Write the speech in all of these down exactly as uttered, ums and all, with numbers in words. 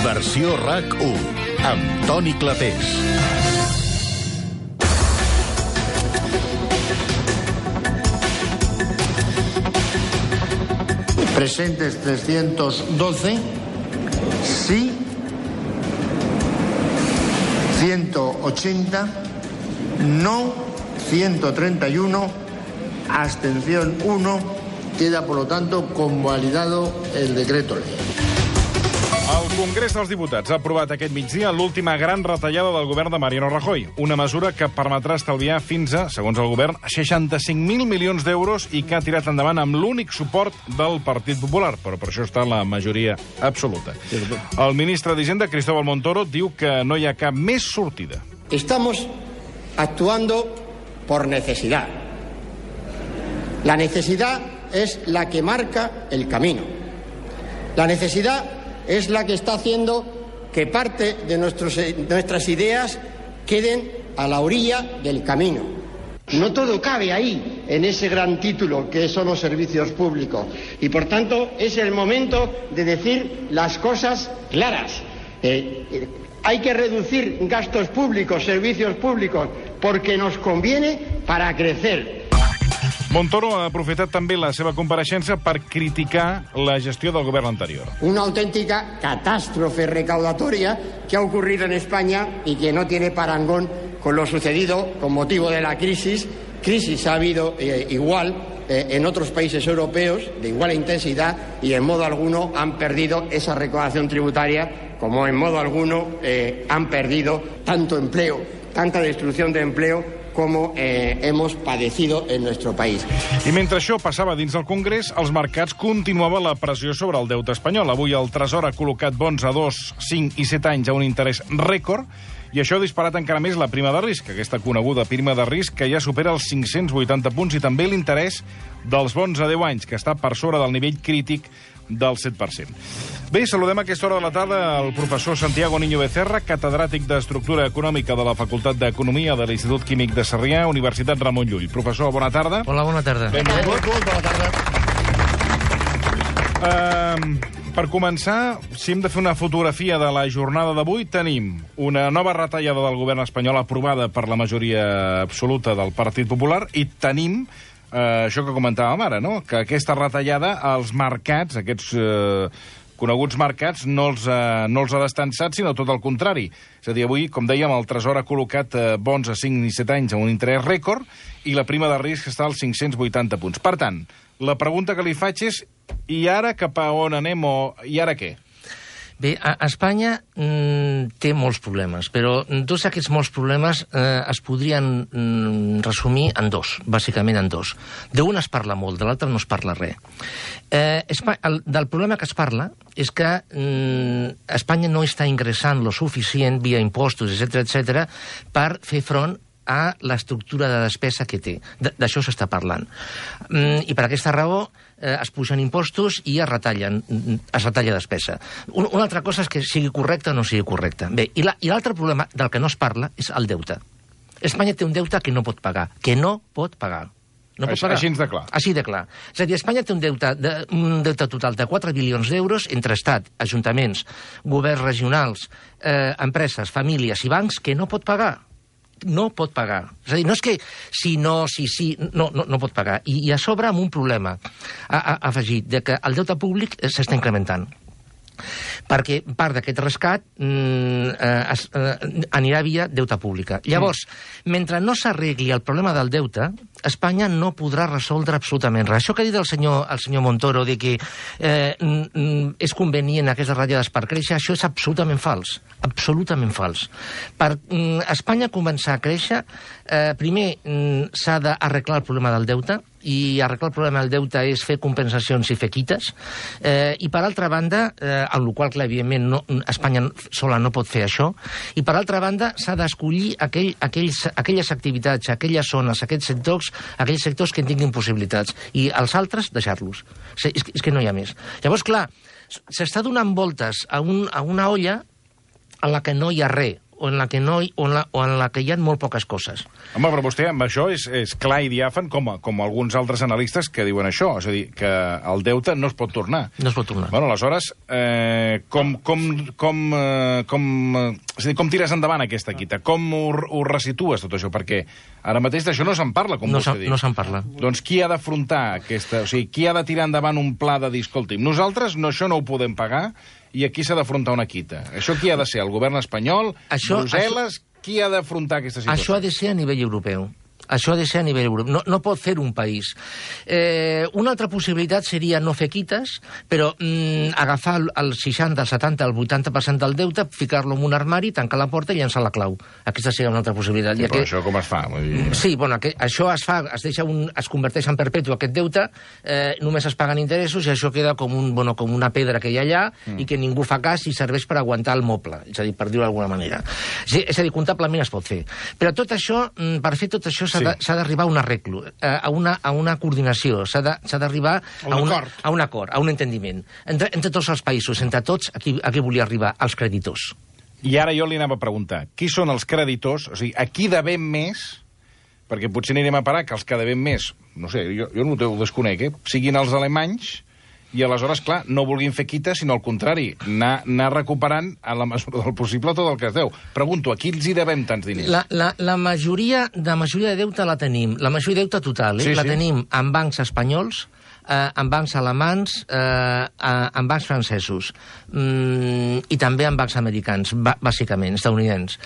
Versió RAC u, amb Toni Clapés. Presentes trescientos doce, sí ciento ochenta, no ciento treinta y uno, abstención uno. Queda, por lo tanto, convalidado el decreto ley. El Congrés dels Diputats ha aprovat aquest migdia l'última gran retallada del govern de Mariano Rajoy, una mesura que permetrà estalviar fins a, segons el govern, seixanta-cinc mil milions d'euros i que ha tirat endavant amb l'únic suport del Partit Popular, però per això està la majoria absoluta. El ministre d'Hisenda, Cristóbal Montoro, diu que no hi ha cap més sortida. Estamos actuando por necesidad. La necesidad es la que marca el camino. La necesidad es la que está haciendo que parte de nuestros, nuestras ideas queden a la orilla del camino. No todo cabe ahí, en ese gran título que son los servicios públicos. Y por tanto es el momento de decir las cosas claras. Eh, eh, hay que reducir gastos públicos, servicios públicos, porque nos conviene para crecer. Montoro ha aprofitat també la seva compareixença per criticar la gestió del govern anterior. Una auténtica catástrofe recaudatoria que ha ocurrido en España y que no tiene parangón con lo sucedido con motivo de la crisis. Crisis ha habido eh, igual eh, en otros países europeos, de igual intensidad, y en modo alguno han perdido esa recaudación tributaria, como en modo alguno eh, han perdido tanto empleo, tanta destrucción de empleo, com eh, hemos padecido en nuestro país. I mentre això passava dins del Congrés, als mercats continuava la pressió sobre el deute espanyol. Avui el Tresor ha col·locat bons a dos, cinc i set anys a un interès rècord, i això ha disparat encara més la prima de risc, aquesta coneguda prima de risc que ja supera els cinc-cents vuitanta punts, i també l'interès dels bons a deu anys, que està per sobre del nivell crític del set per cent. Bé, saludem a aquesta hora de la tarda el professor Santiago Niño Becerra, catedràtic d'Estructura Econòmica de la Facultat d'Economia de l'Institut Químic de Sarrià, Universitat Ramon Llull. Professor, bona tarda. Hola, bona tarda. Benvingut. Bona tarda. Uh, per començar, si hem de fer una fotografia de la jornada d'avui, tenim una nova retallada del govern espanyol aprovada per la majoria absoluta del Partit Popular, i tenim Uh, això que comentàvem ara, no? Que aquesta retallada als mercats, aquests uh, coneguts mercats, no els, uh, no els ha destensat, sinó tot el contrari. És a dir, avui, com dèiem, el Tresor ha col·locat uh, bons a cinc i set anys amb un interès rècord, i la prima de risc està als cinc-cents vuitanta punts. Per tant, la pregunta que li faig és, i ara cap a on anem, o i ara què? Bé, a Espanya mm, té molts problemes, però tots aquests molts problemes eh, es podrien mm, resumir en dos, bàsicament en dos. D'un es parla molt, de l'altre no es parla res. Eh, Espa el, del problema que es parla és que mm, Espanya no està ingressant lo suficient via impostos, etcètera, etcètera, per fer front a l'estructura de despesa que té. D'això s'està parlant. Mm, I per aquesta raó eh, es pugen impostos i es retallen, es retalla despesa. Un, una altra cosa és que sigui correcta o no sigui correcta. Bé, i l'altre problema del que no es parla és el deute. Espanya té un deute que no pot pagar, que no pot pagar. No pot pagar. Així de clar. Així de clar. És a dir, Espanya té un deute, de, un deute total de quatre bilions d'euros entre Estat, ajuntaments, governs regionals, eh, empreses, famílies i bancs que no pot pagar. No pot pagar. És a dir, no és que si no, si sí, no, no, no pot pagar. I, i a sobre amb un problema ha, ha afegit, de que el deute públic s'està incrementant. Perquè part d'aquest rescat mm, eh, es, eh, anirà via deute pública. Llavors, mm. mentre no s'arregli el problema del deute, Espanya no podrà resoldre absolutament res. Això que ha dit el senyor, el senyor Montoro de que eh, mm, és convenient aquestes ratllades per créixer, això és absolutament fals. Absolutament fals. Per mm, Espanya començar a créixer, eh, primer mm, s'ha d'arreglar el problema del deute, i arreglar el problema del deute és fer compensacions i fer quites, eh, i per altra banda, eh, en la qual, clar, evidentment, no, Espanya sola no pot fer això, i per altra banda s'ha d'escollir aquell, aquells, aquelles activitats, aquelles zones, aquells sectors, aquells sectors que en tinguin possibilitats, i els altres deixar-los. És, és que no hi ha més. Llavors, clar, s'està donant voltes a, un, a una olla en la que no hi ha res, o en la que, no, o en la, o en la que hi ha molt poques coses. Home, però vostè amb això és, és clar i diàfan com, com alguns altres analistes que diuen això, és a dir, que el deute no es pot tornar. No es pot tornar. Bueno, aleshores, eh, com, com, com, eh, com, eh, és a dir, com tires endavant aquesta quita? Com ho, ho resitues, tot això? Perquè ara mateix d'això no se'n parla, com no vostè diu. No se'n parla. Doncs qui ha d'afrontar aquesta... O sigui, qui ha de tirar endavant un pla de dir, escolti'm, nosaltres no, això no ho podem pagar i aquí s'ha d'afrontar una quita. Això qui ha de ser? El govern espanyol? Això, Brussel·les? Això... Qui ha d'afrontar aquesta situació? Això ha de ser a nivell europeu. Això ha de ser a nivell europeu. No, no pot fer un país. Eh, una altra possibilitat seria no fer quites, però mm, agafar el seixanta, el setanta, el vuitanta per cent del deute, ficar-lo en un armari, tancar la porta i llançar la clau. Aquesta seria una altra possibilitat. Sí, I però aquest... això com es fa? Vull dir... Sí, bueno, que, això es fa, es, deixa un, es converteix en perpetu aquest deute, eh, només es paguen interessos i això queda com, un, bueno, com una pedra que hi ha allà mm. i que ningú fa cas i serveix per aguantar el moble, és a dir, per dir-ho d'alguna manera. Sí, és a dir, comptablement es pot fer. Però tot això, per fer tot això, s'ha sí. d'arribar a un arreglo, a una, a una coordinació, s'ha d'arribar a, un, a un acord, a un entendiment. Entre, entre tots els països, entre tots, a qui, a qui volia arribar? Els creditors. I ara jo li anava a preguntar, qui són els creditors? O sigui, a qui devem més? Perquè potser anirem a parar que els que devem més, no sé, jo, jo no ho desconec, eh? Siguin els alemanys, i aleshores, clar, no vulguin fer quita, sinó al contrari, anar, anar recuperant a la mesura del possible tot el que es deu. Pregunto, a qui els hi devem tants diners? La, la, la, majoria, la majoria de deute la tenim, la majoria de deute total, eh? Sí, la sí. tenim en bancs espanyols, eh, en bancs alemans, eh, en bancs francesos, mm, i també en bancs americans, bàsicament, estadounidencs,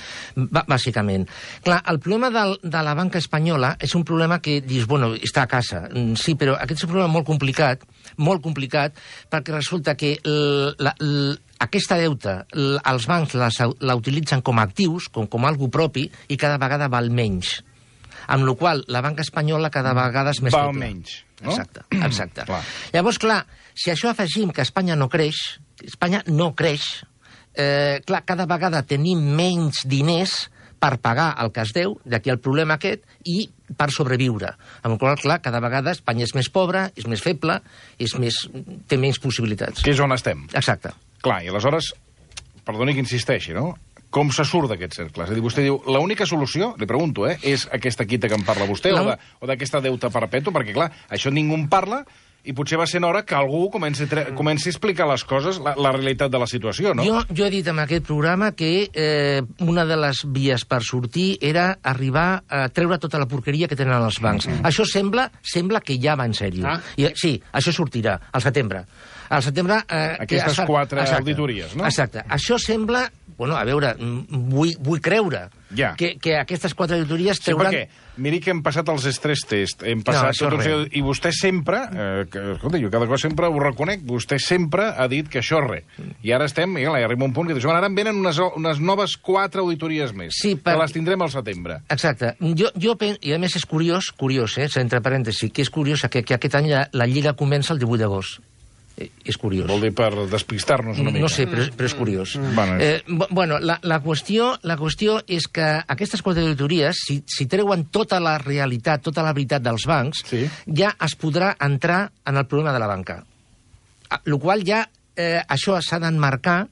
bàsicament. Clar, el problema del, de la banca espanyola és un problema que dius, bueno, està a casa, sí, però aquest és un problema molt complicat, molt complicat, perquè resulta que la, la, aquesta deuta, la, els bancs la, la utilitzen com a actius, com, com algo propi, i cada vegada val menys. Amb la qual la banca espanyola cada vegada és més val feble. menys, no? Exacte, exacte. Clar. Llavors, clar, si això afegim que Espanya no creix, Espanya no creix, eh, clar, cada vegada tenim menys diners per pagar el que es deu, d'aquí el problema aquest, i per sobreviure. Amb la qual, clar, cada vegada Espanya és més pobra, és més feble, és més, té menys possibilitats. Que és on estem. Exacte. Clar, i aleshores, perdoni que insisteixi, no? Com se surt d'aquest cercle? És a dir, vostè diu, l'única solució, li pregunto, eh, és aquesta quita que en parla vostè, la... o d'aquesta deuta perpètua, perquè, clar, això ningú en parla, i potser va ser hora que algú comenci, comenci a explicar les coses, la, la realitat de la situació, no? Jo, jo he dit en aquest programa que eh, una de les vies per sortir era arribar a treure tota la porqueria que tenen els bancs. Mm. Això sembla sembla que ja va en sèrio. Ah. I, sí, això sortirà al setembre. Al setembre... Eh, Aquestes que, quatre exacte, auditories, no? Exacte. Això sembla... Bueno, a veure, vull, vull creure ja. que, que aquestes quatre auditories trauran... Sí, perquè, miri que hem passat els stress test, hem passat no, tot un... I vostè sempre, eh, que, escolta, jo cada cosa sempre ho reconec, vostè sempre ha dit que això és res. I ara estem, i arriba un punt que diu, ara en venen unes, unes noves quatre auditories més, sí, per... que les tindrem al setembre. Exacte. Jo, jo pen... I a més és curiós, curiós, eh, entre parèntesis, que és curiós que, que aquest any la, la Lliga comença el divuit d'agost. És curiós. Vol dir per despistar-nos una mica. No sé, però, però és curiós. Mm. Bueno, eh, bueno la, la, qüestió, la qüestió és que aquestes quatre auditories, si, si treuen tota la realitat, tota la veritat dels bancs, sí. ja es podrà entrar en el problema de la banca. El qual ja, eh, això s'ha d'emmarcar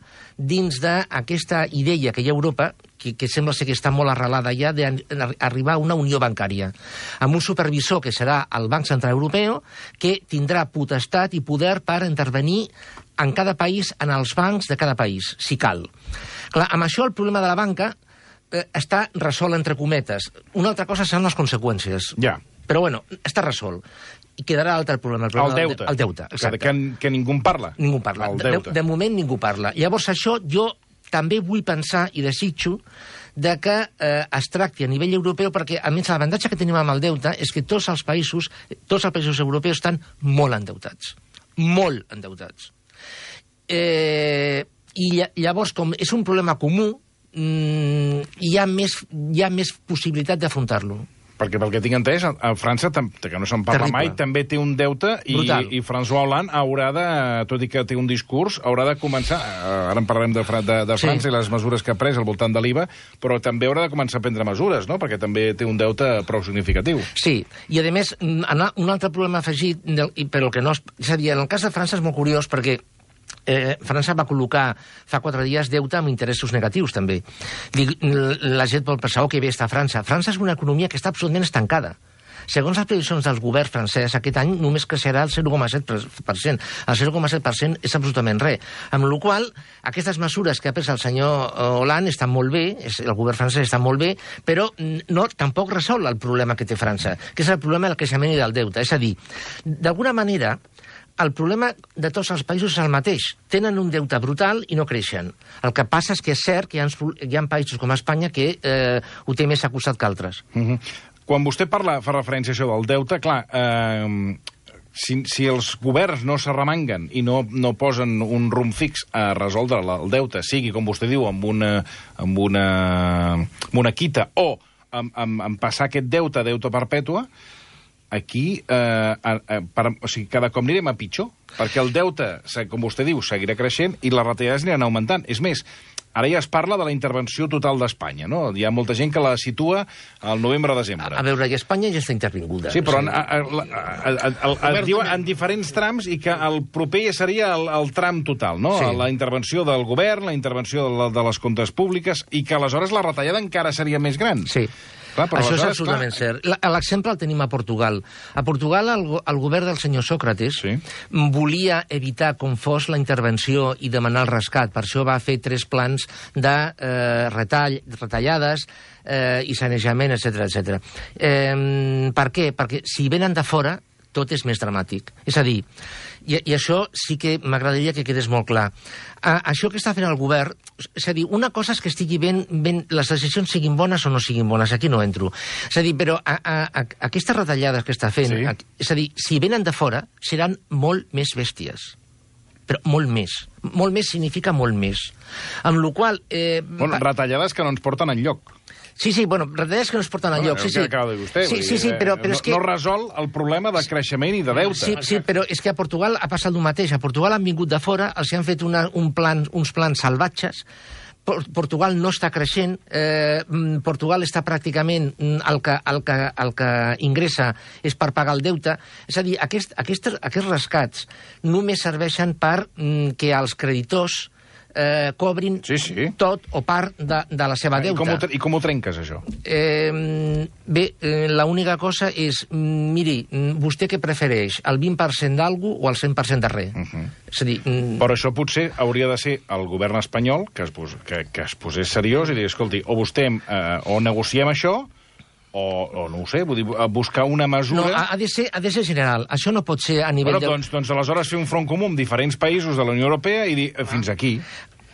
dins d'aquesta idea que hi ha a Europa, que, que sembla ser que està molt arrelada ja, d'arribar a una unió bancària, amb un supervisor que serà el Banc Central Europeu, que tindrà potestat i poder per intervenir en cada país, en els bancs de cada país, si cal. Clar, amb això el problema de la banca eh, està resolt entre cometes. Una altra cosa seran les conseqüències. Ja. Però bueno, està resolt. I quedarà l'altre problema. El, problema el deute. El deute, exacte. Que, que ningú en parla. Ningú en parla. De, de moment ningú parla. Llavors això jo també vull pensar i desitjo de que eh, es tracti a nivell europeu, perquè a més l'avantatge que tenim amb el deute és que tots els països, tots els països europeus estan molt endeutats. Molt endeutats. Eh, I llavors, com és un problema comú, mmm, hi ha més, hi ha més possibilitat d'afrontar-lo. Perquè pel que tinc entès, a França, que no se'n parla mai, també té un deute i, i François Hollande haurà de, tot i que té un discurs, haurà de començar, ara en parlarem de, de, de França sí. i les mesures que ha pres al voltant de l'I V A, però també haurà de començar a prendre mesures, no? Perquè també té un deute prou significatiu. Sí, i a més, un altre problema afegit, però que no és... És a dir, en el cas de França és molt curiós perquè Eh, França va col·locar fa quatre dies deute amb interessos negatius, també. La gent pot pensar, oh, que bé està França. França és una economia que està absolutament estancada. Segons les previsions del govern francès, aquest any només creixerà el zero coma set per cent. El zero coma set per cent és absolutament res. Amb la qual cosa, aquestes mesures que ha pres el senyor Hollande estan molt bé, el govern francès està molt bé, però no, tampoc resol el problema que té França, que és el problema del creixement i del deute. És a dir, d'alguna manera, el problema de tots els països és el mateix. Tenen un deute brutal i no creixen. El que passa és que és cert que hi ha, hi ha països com Espanya que eh, ho té més acusat que altres. Mm-hmm. Quan vostè parla, fa referència a això del deute, clar, eh, si, si els governs no s'arremanguen i no, no posen un rumb fix a resoldre el deute, sigui, com vostè diu, amb una, amb una, amb una quita o amb, amb, amb passar aquest deute a deute perpètua, aquí eh, eh, per, o sigui, cada cop anirem a pitjor, perquè el deute, com vostè diu, seguirà creixent i les retallades aniran augmentant. És més, ara ja es parla de la intervenció total d'Espanya, no? Hi ha molta gent que la situa al novembre-desembre. A, a veure, i Espanya ja està intervinguda. Sí, però en, a, a, a, a, a, a, diu en diferents trams i que el proper ja seria el, el tram total, no? Sí. La intervenció del govern, la intervenció de, la, de les comptes públiques, i que aleshores la retallada encara seria més gran. Sí. Clar, això és absolutament clar. Cert. L'exemple el tenim a Portugal. A Portugal el, el govern del senyor Sócrates sí. volia evitar com fos la intervenció i demanar el rescat. Per això va fer tres plans de eh, retall, retallades eh, i sanejament, etcètera, etcètera. Eh, per què? Perquè si venen de fora tot és més dramàtic. És a dir, i, i això sí que m'agradaria que quedés molt clar. A, això que està fent el govern, és a dir, una cosa és que estigui ben, ben, les decisions siguin bones o no siguin bones, aquí no entro. És a dir, però a, a, a, aquestes retallades que està fent, sí. a, és a dir, si venen de fora, seran molt més bèsties. Però molt més. Molt més significa molt més. Amb la qual cosa... Eh, bueno, retallades que no ens porten enlloc. Sí, sí, bueno, retallades que no es porten al lloc. Sí, sí. Vostè, sí, sí, sí, però, però no, és que... no resol el problema de creixement i de deute. Sí, sí, però és que a Portugal ha passat el mateix. A Portugal han vingut de fora, els han fet una, un plan, uns plans salvatges. Portugal no està creixent, eh, Portugal està pràcticament el que, el, que, el que ingressa és per pagar el deute. És a dir, aquest, aquest, aquests rescats només serveixen per mm, que els creditors Eh, cobrin sí, sí. tot o part de, de la seva deuta. I com, ho, I com ho trenques, això? Eh, bé, eh, l'única cosa és, miri, vostè què prefereix, el vint per cent d'algú o el cent per cent de res? Uh -huh. És a dir... Però això potser hauria de ser el govern espanyol que es, pos, que, que es posés seriós i dir, escolti, o vostè, eh, o negociem això, O, o no ho sé, vull dir, buscar una mesura... No, ha de ser, ha de ser general. Això no pot ser a nivell... Bueno, doncs, doncs aleshores fer un front comú amb diferents països de la Unió Europea i dir, fins aquí...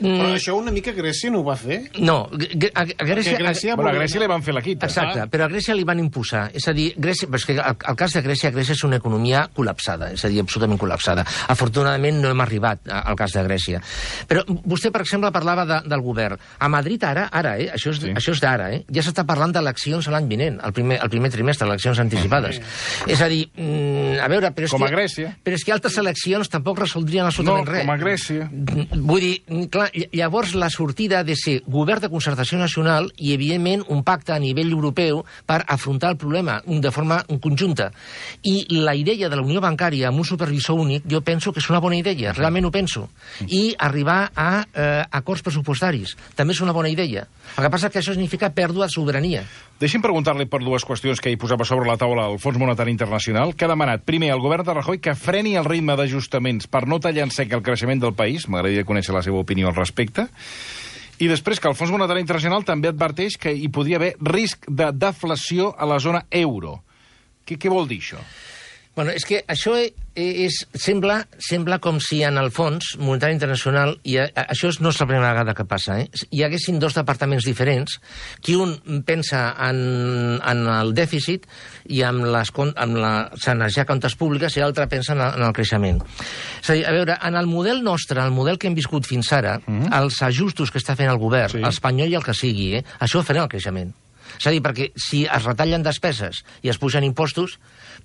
Però això una mica Grècia no ho va fer? No, a, a Grècia... A Grècia, bueno, a Grècia li van fer la quita. Exacte, però a Grècia li van imposar. És a dir, Grècia, però és que el, el cas de Grècia, Grècia és una economia col·lapsada, és a dir, absolutament col·lapsada. Afortunadament no hem arribat al cas de Grècia. Però vostè, per exemple, parlava de, del govern. A Madrid ara, ara, eh, això és, sí. això és d'ara, eh, ja s'està parlant d'eleccions l'any vinent, el primer, el primer trimestre, eleccions anticipades. Okay. És a dir, mm, a veure... Però és com que, a Grècia. Però és que altres eleccions tampoc resoldrien absolutament no, res. No, com a Grècia. Vull dir, clar, llavors la sortida ha de ser govern de concertació nacional i, evidentment, un pacte a nivell europeu per afrontar el problema de forma conjunta. I la idea de la Unió Bancària amb un supervisor únic, jo penso que és una bona idea, realment ho penso. I arribar a eh, acords pressupostaris també és una bona idea. El que passa és que això significa pèrdua de sobirania. Deixi'm preguntar-li per dues qüestions que hi posava sobre la taula el Fons Monetari Internacional, que ha demanat, primer, al govern de Rajoy que freni el ritme d'ajustaments per no tallar en sec el creixement del país. M'agradaria conèixer la seva opinió al respecte. I després que el Fons Monetari Internacional també adverteix que hi podria haver risc de deflació a la zona euro. Què, què vol dir això? Bueno, és que això és, sembla, sembla com si en el Fons Monetari Internacional, i a, això no és la primera vegada que passa, eh? Hi haguessin dos departaments diferents, que un pensa en, en el dèficit i amb, les, amb la sanejar comptes públiques i l'altre pensa en el, en el creixement. És a dir, a veure, en el model nostre, el model que hem viscut fins ara, mm-hmm. els ajustos que està fent el govern, sí. l'espanyol i el que sigui, eh? això frena el creixement. És a dir, perquè si es retallen despeses i es pugen impostos,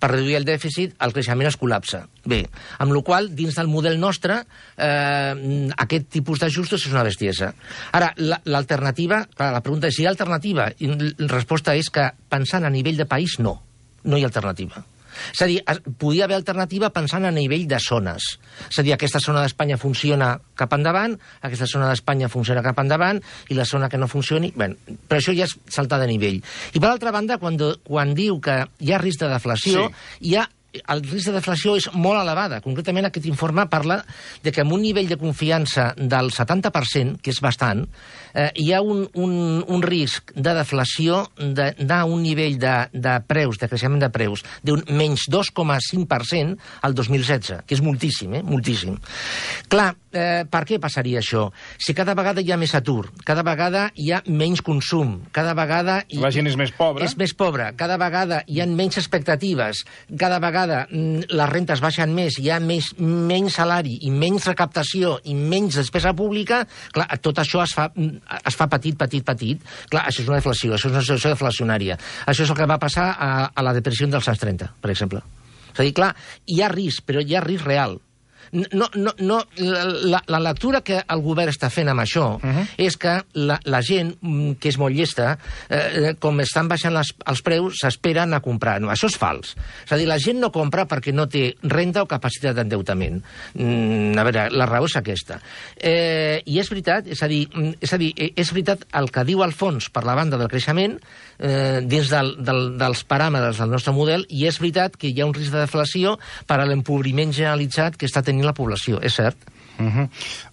per reduir el dèficit, el creixement es col·lapsa. Bé, amb la qual cosa, dins del model nostre, eh, aquest tipus d'ajustos és una bestiesa. Ara, l'alternativa, la, la pregunta és si hi ha alternativa, i la resposta és que, pensant a nivell de país, no. No hi ha alternativa. És a dir, podia haver alternativa pensant a nivell de zones. És a dir, aquesta zona d'Espanya funciona cap endavant, aquesta zona d'Espanya funciona cap endavant, i la zona que no funcioni... Bé, però això ja és saltar de nivell. I per altra banda, quan, quan diu que hi ha risc de deflació, sí. hi ha el risc de deflació és molt elevada. Concretament, aquest informe parla de que amb un nivell de confiança del setanta per cent, que és bastant, eh, hi ha un, un, un risc de deflació d'anar a un nivell de, de preus, de creixement de preus, d'un menys dos coma cinc per cent al dos mil setze, que és moltíssim, eh? Moltíssim. Clar, eh, per què passaria això? Si cada vegada hi ha més atur, cada vegada hi ha menys consum, cada vegada... Hi, la gent és més pobra. És més pobra, cada vegada hi ha menys expectatives, cada vegada les rentes baixen més, hi ha més, menys salari i menys recaptació i menys despesa pública, clar, tot això es fa, es fa petit, petit, petit. Clar, això és una deflació, això és una situació deflacionària. Això és el que va passar a, a la depressió dels anys trenta, per exemple. És a dir, clar, hi ha risc, però hi ha risc real. No, no, no, la, la lectura que el govern està fent amb això uh -huh. és que la, la gent, que és molt llesta, eh, com estan baixant les, els preus, s'esperen a comprar. No, això és fals. És a dir, la gent no compra perquè no té renda o capacitat d'endeutament. Mm, a veure, la raó és aquesta. Eh, I és veritat, és a dir, és a dir, és veritat el que diu el fons per la banda del creixement eh, dins del, del, dels paràmetres del nostre model, i és veritat que hi ha un risc de deflació per a l'empobriment generalitzat que està tenint la població, és cert. Uh -huh.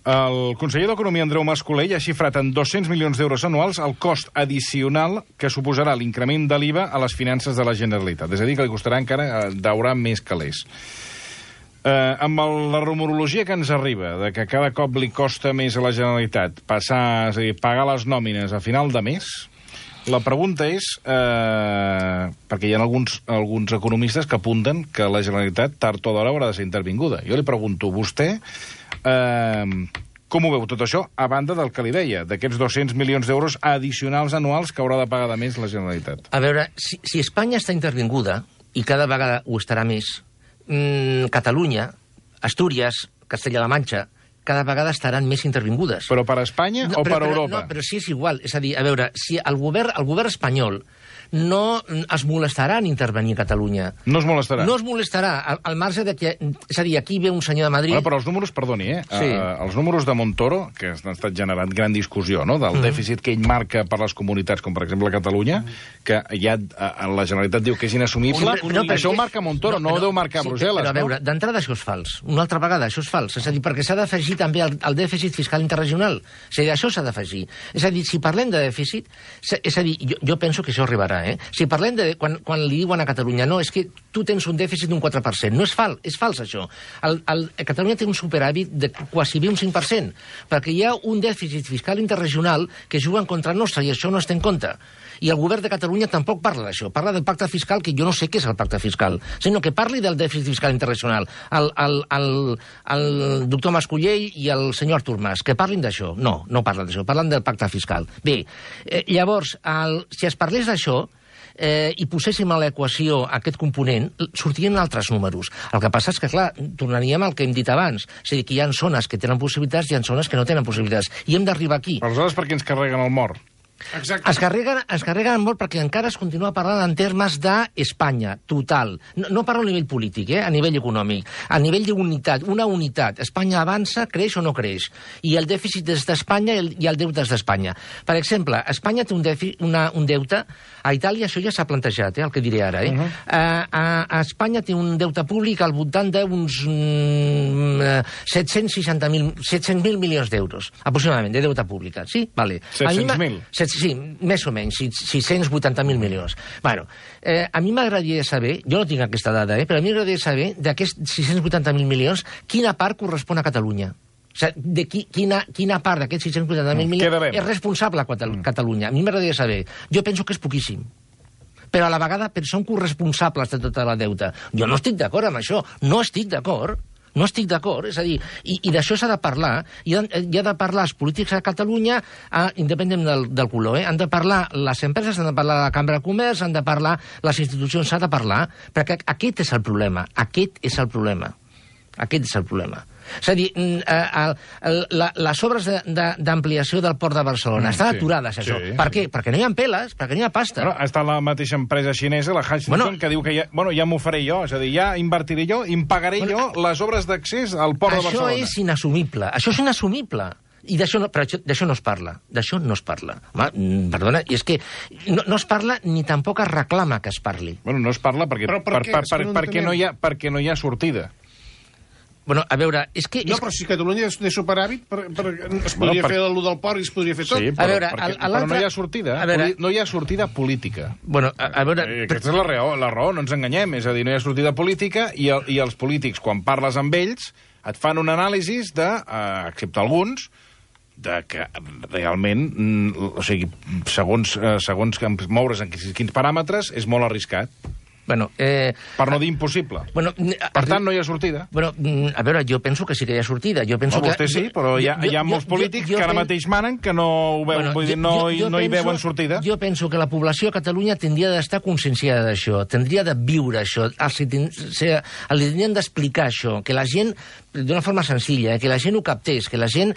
El conseller d'Economia, Andreu Mas-Colell, ha xifrat en dos-cents milions d'euros anuals el cost addicional que suposarà l'increment de l'I V A a les finances de la Generalitat. És a dir, que li costarà encara daurar més calés. Eh, amb el, la rumorologia que ens arriba de que cada cop li costa més a la Generalitat passar, és a dir, pagar les nòmines a final de mes, la pregunta és, eh, perquè hi ha alguns, alguns economistes que apunten que la Generalitat tard o d'hora haurà de ser intervinguda. Jo li pregunto, vostè, eh, com ho veu tot això, a banda del que li deia, d'aquests dos-cents milions d'euros addicionals anuals que haurà de pagar de més la Generalitat? A veure, si, si Espanya està intervinguda, i cada vegada ho estarà més, mmm, Catalunya, Astúries, Castella-La Manxa, cada vegada estaran més intervingudes. Però per Espanya no, o però, per però, Europa? No, però sí és igual. És a dir, a veure, si el govern, el govern espanyol no es molestarà en intervenir a Catalunya. No es molestarà? No es molestarà, al, al marge de que... És a dir, aquí ve un senyor de Madrid... Bueno, però els números, perdoni, eh? Sí. Uh, els números de Montoro, que han estat generant gran discussió, no?, del mm. dèficit que ell marca per les comunitats, com per exemple Catalunya, que ja uh, la Generalitat diu que és inassumible. No, però, això ho marca Montoro, no, no ho deu marcar sí, Brussel·les, però, a veure, no? d'entrada això és fals. Una altra vegada, això és fals. És a dir, perquè s'ha d'afegir també el, el dèficit fiscal interregional. És a dir, això s'ha d'afegir. És a dir, si parlem de dèficit... És a dir, jo, jo penso que això arribarà, eh? Si parlem de... Quan, quan li diuen a Catalunya, no, és que tu tens un dèficit d'un quatre per cent. No és fals, és fals, això. El, el, Catalunya té un superàvit de quasi bé un cinc per cent, perquè hi ha un dèficit fiscal interregional que juga en contra nostra, i això no es té en compte. I el govern de Catalunya tampoc parla d'això. Parla del pacte fiscal, que jo no sé què és el pacte fiscal, sinó que parli del dèficit fiscal internacional. El, el, el, el doctor Mas-Colell i el senyor Artur Mas, que parlin d'això. No, no parlen d'això, parlen del pacte fiscal. Bé, eh, llavors, el, si es parlés d'això, eh, i poséssim a l'equació aquest component, sortirien altres números. El que passa és que, clar, tornaríem al que hem dit abans. És a dir, que hi ha zones que tenen possibilitats i hi ha zones que no tenen possibilitats. I hem d'arribar aquí. Aleshores, per què ens carreguen el mort? Exacte. Es carreguen, es carreguen molt perquè encara es continua parlant en termes d'Espanya, total. No, no parlo a nivell polític, eh? A nivell econòmic. A nivell d'unitat, una unitat. Espanya avança, creix o no creix. I el dèficit és d'Espanya i el, i el deute és d'Espanya. Per exemple, Espanya té un, defi, una, un deute, a Itàlia això ja s'ha plantejat, eh? El que diré ara. Eh? Uh -huh. a, a, a Espanya té un deute públic al voltant d'uns mm, set-cents seixanta mil milions d'euros, aproximadament, de deute públic. Sí? Vale. set-cents mil? Sí, més o menys, sis-cents vuitanta mil milions. Bueno, eh, a mi m'agradaria saber, jo no tinc aquesta dada, eh, però a mi m'agradaria saber d'aquests sis-cents vuitanta mil milions, quina part correspon a Catalunya. O sigui, de qui, quina, quina part d'aquests sis-cents vuitanta mil milions és responsable a Catalunya. A mi m'agradaria saber. Jo penso que és poquíssim. Però a la vegada són corresponsables de tota la deuta. Jo no estic d'acord amb això. No estic d'acord. No estic d'acord, és a dir, i, i d'això s'ha de parlar, i ha, hi ha de parlar els polítics a Catalunya, a, independent del, del color, eh? Han de parlar les empreses, han de parlar la Cambra de Comerç, han de parlar les institucions, s'ha de parlar, perquè aquest és el problema, aquest és el problema, aquest és el problema. És a dir, les obres d'ampliació del port de Barcelona estan aturades, això. Per què? Perquè no hi ha peles, perquè no hi ha pasta. Bueno, està la mateixa empresa xinesa, la Hutchinson, bueno, que diu que ja, bueno, ja m'ho faré jo, és a dir, ja invertiré jo, em pagaré bueno, jo les obres d'accés al port de Barcelona. Això és inassumible, això és inassumible. I d'això no, d'això no es parla, d'això no es parla. Home, perdona, i és que no, no es parla ni tampoc es reclama que es parli. Bueno, no es parla perquè, per, per, per, per, no perquè, no hi ha, perquè no hi ha sortida. Bueno, a veure, és que... No, però si Catalunya és de superàvit, per, per, es podria bueno, per... fer allò del port i es podria fer tot. Sí, però, a veure, perquè, però no hi ha sortida. A veure... No hi ha sortida política. Bueno, a, a veure... Eh, aquesta és la raó, la raó, no ens enganyem. És a dir, no hi ha sortida política i, el, i els polítics, quan parles amb ells, et fan un anàlisi de, eh, excepte alguns, de que realment, o sigui, segons, eh, segons moure's en quins paràmetres, és molt arriscat. Bueno, eh, per no dir impossible. Bueno, per tant, no hi ha sortida. Bueno, a veure, jo penso que sí que hi ha sortida. Jo penso no, vostè que, sí, però hi ha, jo, hi ha jo, molts polítics jo, jo, que ara pen... mateix manen que no, ho veu, bueno, vull dir, no, jo, jo no hi penso, veuen sortida. Jo penso que la població a Catalunya tindria d'estar conscienciada d'això, tindria de viure això, els, li tindrien d'explicar això, que la gent, d'una forma senzilla, que la gent ho captés, que la gent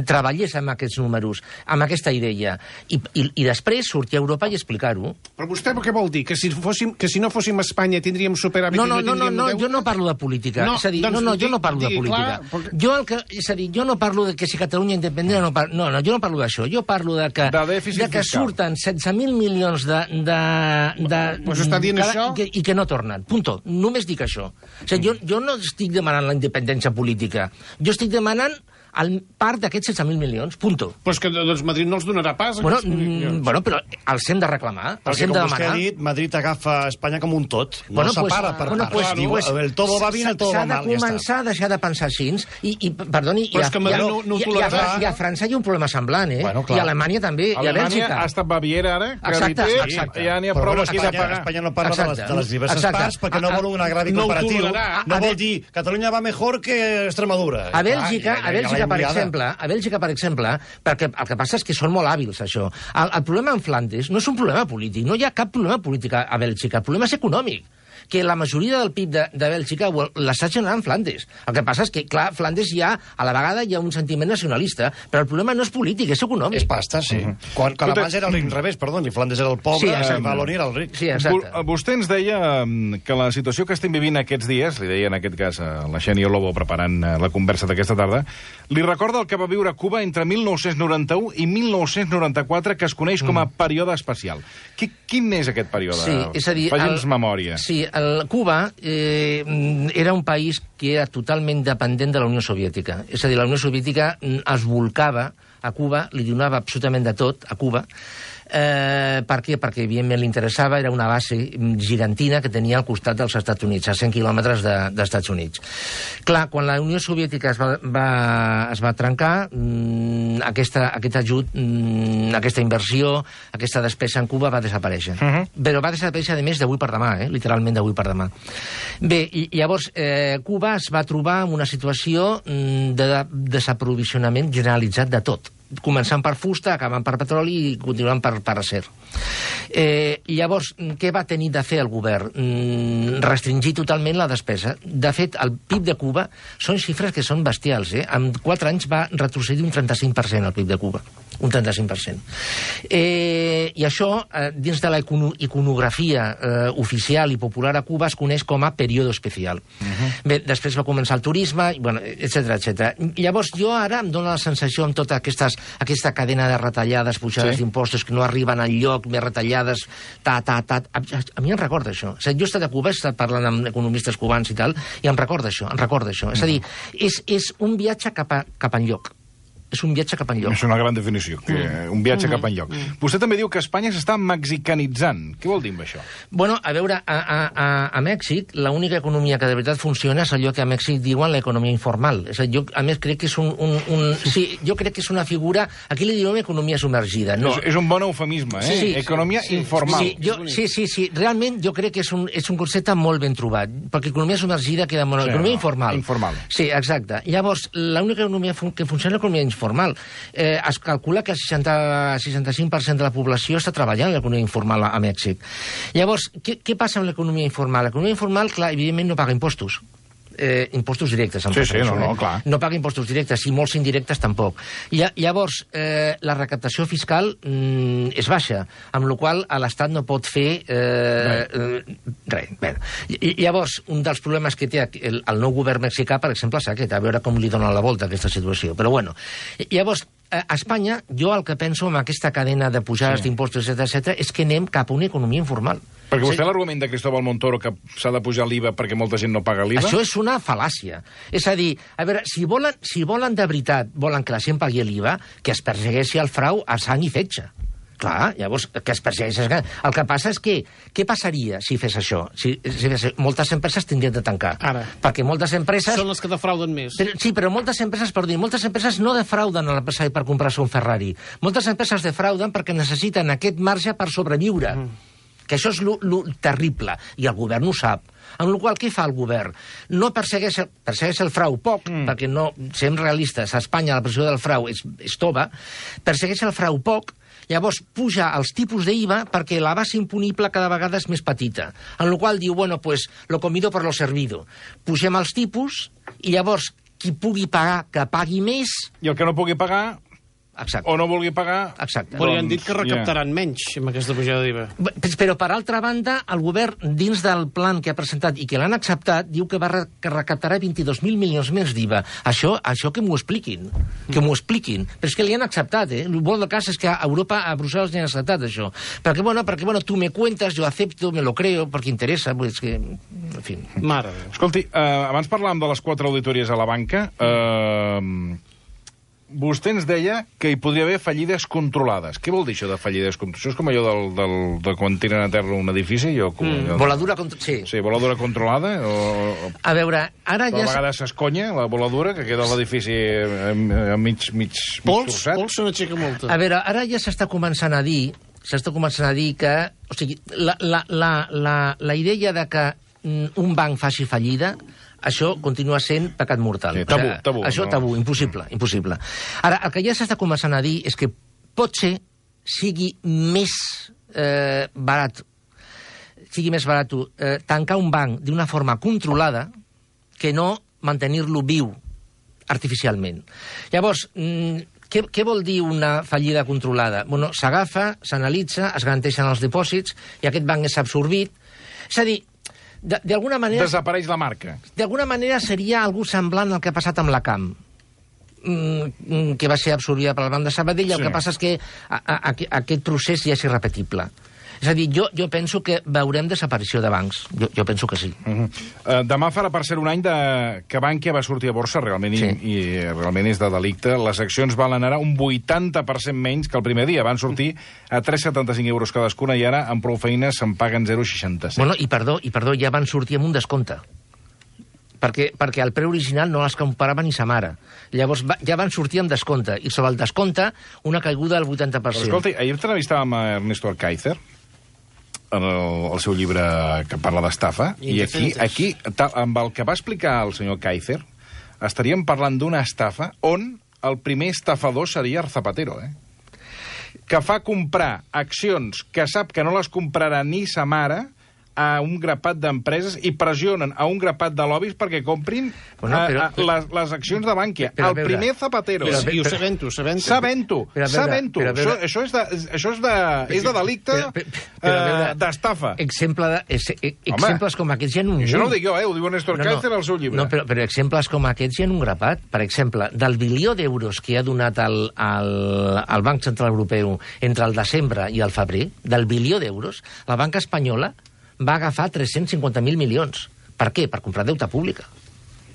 treballés amb aquests números, amb aquesta idea, i, i, i després sortir a Europa i explicar-ho. Però vostè què vol dir? Que si, fóssim, que si no fóssim a Espanya tindríem superàvit no, no, i no no, no, no, jo no parlo de política. No, és a dir, doncs, no, no, jo no parlo digui, de política. Clar, perquè... jo, el que, és a dir, jo no parlo de que si Catalunya independent no parlo, no, no, jo no parlo d'això. Jo parlo de que, de de que surten setze mil milions de... de, de pues està dient cada, això? I que, i que no tornen. Punto. Només dic això. O sigui, jo, jo no estic demanant la independència política. Jo estic demanant el part d'aquests setze mil milions, punto. Però és que doncs, Madrid no els donarà pas. Bueno, mm, bueno, però els hem de reclamar, els perquè, hem de com demanar. vostè ha dit, Madrid agafa Espanya com un tot. No bueno, el separa pues, per bueno, parts. Pues, Diu, pues, el todo va bien, el todo va mal. S'ha de començar a deixar de pensar així. I, i perdoni, però i a, és que Madrid no, no ho tolerarà. I a França hi ha un problema semblant, eh? Bueno, I a Alemanya també, Alemanya i a Bèlgica. ha estat Baviera, ara, que exacte, té, exacte. ja n'hi ha però prou bueno, aquí Espanya, de pagar. Espanya no parla de les, de les diverses exacte. parts perquè no a, vol un agravi no comparatiu. Tolerarà. No vol dir Catalunya va mejor que Extremadura. A Bèlgica, ah, a Bèlgica, per exemple, a Bèlgica, per exemple, perquè el que passa és que són molt hàbils, això. El, el problema en Flandes no és un problema polític, no hi ha cap problema polític a Bèlgica, el problema és econòmic, que la majoria del P I B de, de Bèlgica l'està generant Flandes. El que passa és que, clar, Flandes hi ha, a la vegada hi ha un sentiment nacionalista, però el problema no és polític, és econòmic. És pasta, sí. Uh -huh. Quan, quan abans era l'inrevés, perdó, i Flandes era el pobre, sí, i Valoni era el ric. Sí, exacte. Vostè ens deia que la situació que estem vivint aquests dies, li deia en aquest cas a la Xènia Lobo preparant la conversa d'aquesta tarda, li recorda el que va viure Cuba entre mil nou-cents noranta-u i mil nou-cents noranta-quatre, que es coneix com a període especial. Qui, quin és aquest període? Sí, és a dir... Faci'ns memòria. Sí, el Cuba eh, era un país que era totalment dependent de la Unió Soviètica. És a dir, la Unió Soviètica es volcava a Cuba, li donava absolutament de tot a Cuba. Eh, per què? Perquè, evidentment, li interessava, era una base gigantina que tenia al costat dels Estats Units, a cent quilòmetres de, dels Estats Units. Clar, quan la Unió Soviètica es va, va, es va trencar, mmm, aquesta, aquest ajut, mmm, aquesta inversió, aquesta despesa en Cuba va desaparèixer. Uh -huh. Però va desaparèixer, a més, d'avui per demà, eh? Literalment d'avui per demà. Bé, i llavors, eh, Cuba es va trobar en una situació mmm, de desaprovisionament generalitzat de tot, començant per fusta, acabant per petroli i continuant per, per acer. Eh, llavors, què va tenir de fer el govern? Mm, restringir totalment la despesa. De fet, el P I B de Cuba són xifres que són bestials. Eh? En quatre anys va retrocedir un trenta-cinc per cent el P I B de Cuba. Un trenta-cinc per cent. Eh, I això, eh, dins de la iconografia eh, oficial i popular a Cuba, es coneix com a període especial. Uh-huh. Bé, després va començar el turisme, bueno, etcètera, etcètera. Llavors, jo ara em dono la sensació amb totes aquestes, aquesta cadena de retallades, pujades sí. d'impostos que no arriben al lloc, més retallades, ta, ta, ta... A, a mi em recorda això. O sigui, jo he estat a Cuba, he estat parlant amb economistes cubans i tal, i em recorda això, em recorda això. Uh-huh. És a dir, és, és un viatge cap, a, cap enlloc. És un viatge cap enlloc. És una gran definició, que mm. un viatge mm. cap enlloc. Mm. Vostè també diu que Espanya s'està mexicanitzant. Què vol dir amb això? Bueno, a veure, a, a, a, a Mèxic, l'única economia que de veritat funciona és allò que a Mèxic diuen l'economia informal. És a dir, jo, a més, crec que és un... un, un sí, jo crec que és una figura... Aquí li diuen economia submergida. No. És, és un bon eufemisme, eh? Sí, economia sí, informal. Sí, jo, sí, sí, sí. Realment jo crec que és un, és un concepte molt ben trobat, perquè economia submergida queda molt... Sí, economia no, informal. Informal. Sí, exacte. Llavors, l'única economia fun que funciona és l'economia informal. Eh, es calcula que el seixanta, seixanta-cinc per cent de la població està treballant en l'economia informal a, a Mèxic. Llavors, què, què passa amb l'economia informal? L'economia informal, clar, evidentment no paga impostos. eh, impostos directes. Sí, sí, no, no, clar. No paga impostos directes, i molts indirectes tampoc. I, llavors, eh, la recaptació fiscal mm, és baixa, amb la qual cosa l'Estat no pot fer eh, res. res. Bé. I, llavors, un dels problemes que té el, el nou govern mexicà, per exemple, és aquest, a veure com li dona la volta a aquesta situació. Però bueno, llavors, a Espanya, jo el que penso amb aquesta cadena de pujades sí. d'impostos, etcètera, etcètera, és que anem cap a una economia informal. Perquè vostè sí. l'argument de Cristóbal Montoro que s'ha de pujar l'I V A perquè molta gent no paga l'I V A? Això és una fal·làcia. És a dir, a veure, si volen, si volen de veritat, volen que la gent pagui l'I V A, que es persegueixi el frau a sang i fetge. Clar, llavors, que es persegueixi... El que passa és que, què passaria si fes això? Si, si fes... Moltes empreses tindrien de tancar. Ara. Perquè moltes empreses... Són les que defrauden més. Però, sí, però moltes empreses, per dir, moltes empreses no defrauden a l'empresari per comprar-se un Ferrari. Moltes empreses defrauden perquè necessiten aquest marge per sobreviure. Mm. Que això és lo, lo terrible, i el govern ho sap. Amb la qual cosa, què fa el govern? No persegueix, persegueix el frau poc, mm. perquè no, siguem realistes, a Espanya la pressió del frau és, és tova, persegueix el frau poc, llavors puja els tipus d'I V A perquè la base impunible cada vegada és més petita. En la qual diu, bueno, pues, lo comido por lo servido. Pugem els tipus i llavors qui pugui pagar, que pagui més... I el que no pugui pagar... Exacte. O no vulgui pagar... Exacte. Però doncs, han dit que recaptaran yeah. menys amb aquesta pujada d'I V A. Però, per altra banda, el govern, dins del plan que ha presentat i que l'han acceptat, diu que va re que recaptarà vint-i-dos mil milions més d'I V A. Això, això que m'ho expliquin. Que m'ho expliquin. Però és que li han acceptat, eh? El bo del cas és que a Europa, a Brussel·les, li han acceptat això. Perquè, bueno, perquè, bueno, tu me cuentas, jo acepto, me lo creo, perquè interessa, pues que... En fi. Mare. Escolti, eh, abans parlàvem de les quatre auditories a la banca. Eh... Vostè ens deia que hi podria haver fallides controlades. Què vol dir això de fallides controlades? Això és com allò del, del, de quan tiren a terra un edifici? Jo, com, mm, allò... Voladura controlada, sí. Sí, voladura controlada. O... A veure, ara ja... A vegades s'esconya, la voladura, que queda l'edifici mig, mig, mig torçat. Pols se n'aixeca molta. A veure, ara ja s'està començant a dir, s'està començant a dir que... O sigui, la, la, la, la, la idea de que un banc faci fallida... Això continua sent pecat mortal. Sí, tabú, tabú. Això no? tabú, impossible, impossible. Ara, el que ja s'està començant a dir és que potser sigui més eh, barat, sigui més barat eh, tancar un banc d'una forma controlada que no mantenir-lo viu artificialment. Llavors, mm, què, què vol dir una fallida controlada? Bueno, s'agafa, s'analitza, es garanteixen els dipòsits i aquest banc és absorbit. És a dir, d'alguna manera... Desapareix la marca. D'alguna manera seria algú semblant al que ha passat amb la Camp, mm, que va ser absorbida per el Banc de Sabadell, sí. El que passa és que a, a, a, aquest procés ja és irrepetible. És a dir, jo, jo penso que veurem desaparició de bancs. Jo, jo penso que sí. Uh -huh. uh, demà farà per ser un any de... que Bankia va sortir a borsa, realment, sí. i, i realment és de delicte. Les accions valen ara un vuitanta per cent menys que el primer dia. Van sortir a tres coma setanta-cinc euros cadascuna i ara, amb prou feines, se'n paguen zero coma seixanta-set. Bueno, i perdó, i perdó, ja van sortir amb un descompte. Perquè, perquè el preu original no les comparava ni sa mare. Llavors va, ja van sortir amb descompte. I sobre el descompte, una caiguda del vuitanta per cent. Però, escolta, ahir entrevistàvem a Ernesto Alcáizer, en el, el seu llibre que parla d'estafa, i aquí, aquí tal, amb el que va explicar el senyor Kaiser, estaríem parlant d'una estafa on el primer estafador seria Zapatero, eh? Que fa comprar accions que sap que no les comprarà ni sa mare a un grapat d'empreses i pressionen a un grapat de lobbies perquè comprin bueno, però, a, a, les, les accions de Bankia. El veure, primer Zapatero. Però, però, I ho sabent-ho, sabent-ho. Sabent-ho, sabent-ho. Això, això és de, això és de, és de delicte uh, d'estafa. Exemple de, ex, exemples com aquests hi ha un... Això no ho dic jo, eh? Ho diu Néstor no, Kaiser al seu llibre. No, però, però exemples com aquests hi ha un grapat. Per exemple, del bilió d'euros que ha donat el, el, el Banc Central Europeu entre el desembre i el febrer, del bilió d'euros, la banca espanyola va agafar tres-cents cinquanta mil milions. Per què? Per comprar deute pública.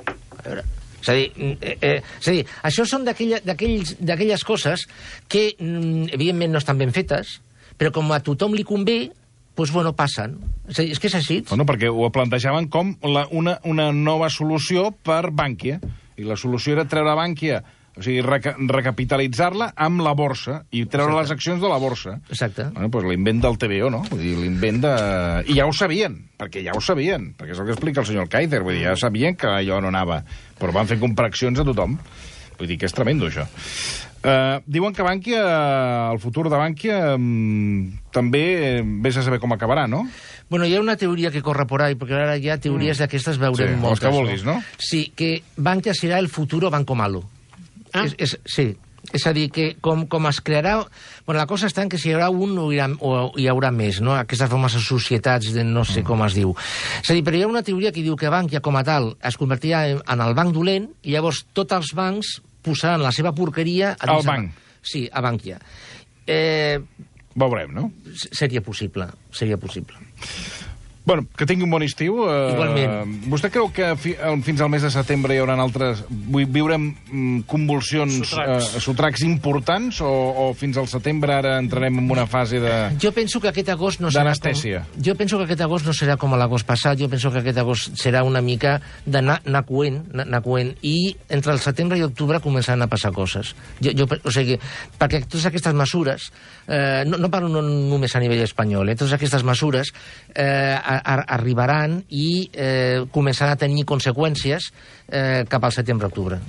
A veure... És a dir, eh, eh, és a dir això són d'aquelles coses que, mm, evidentment, no estan ben fetes, però com a tothom li convé, doncs, bueno, passen. És, a dir, és que és així. Bueno, perquè ho plantejaven com la, una, una nova solució per Bankia. I la solució era treure Bankia... O sigui, reca recapitalitzar-la amb la borsa i treure Exacte. les accions de la borsa. Exacte. Bueno, doncs l'invent del T V O, no? Vull dir, l'invent de... I ja ho sabien, perquè ja ho sabien, perquè és el que explica el senyor Kaiser, vull dir, ja sabien que allò no anava, però van fer comprar accions a tothom. Vull dir que és tremendo, això. Uh, diuen que Bankia, el futur de Bankia, um, també vés a saber com acabarà, no? Bueno, hi ha una teoria que corre por ahí, perquè ara ja teories mm. d'aquestes veurem sí, moltes. Els que vulguis, no? Sí, que Bankia serà el futuro Banco Malo. Ah. És, és, sí, és a dir, que com, com es crearà... Bueno, la cosa està en que si hi haurà un o hi haurà, o hi haurà més, no? Aquestes famoses societats de no sé mm. com es diu. És a dir, però hi ha una teoria que diu que Bankia, com a tal, es convertirà en, en el banc dolent i llavors tots els bancs posaran la seva porqueria... A Al banc. Sí, a Bankia. Eh... Veurem, no? Seria possible, seria possible. Bueno, que tingui un bon estiu. Eh, Igualment. Vostè creu que fi, fins al mes de setembre hi haurà altres... Viurem mm, convulsions, sotracs, eh, sotracs importants o, o fins al setembre ara entrarem en una fase de... Jo penso que aquest agost no serà... D'anestèsia. Com, jo penso que aquest agost no serà com l'agost passat, jo penso que aquest agost serà una mica d'anar coent, anar coent, i entre el setembre i octubre començaran a passar coses. Jo, jo, o sigui, perquè totes aquestes mesures, eh, no, no parlo no només a nivell espanyol, eh, totes aquestes mesures eh, arribaran i eh, començaran a tenir conseqüències eh, cap al setembre-octubre.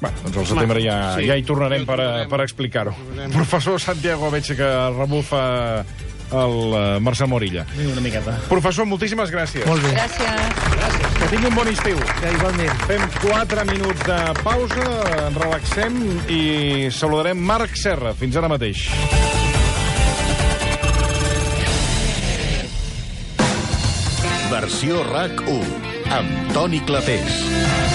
Bueno, doncs al setembre ja, sí. ja hi tornarem per, per explicar-ho. Professor Santiago, veig que rebufa el uh, Marcel Morilla. Una miqueta. Professor, moltíssimes gràcies. Molt bé. Gràcies. Gràcies. Que tingui un bon estiu. Ja, igualment. Fem quatre minuts de pausa, ens relaxem i saludarem Marc Serra. Fins ara mateix. Versió RAC u, amb Toni Clapés.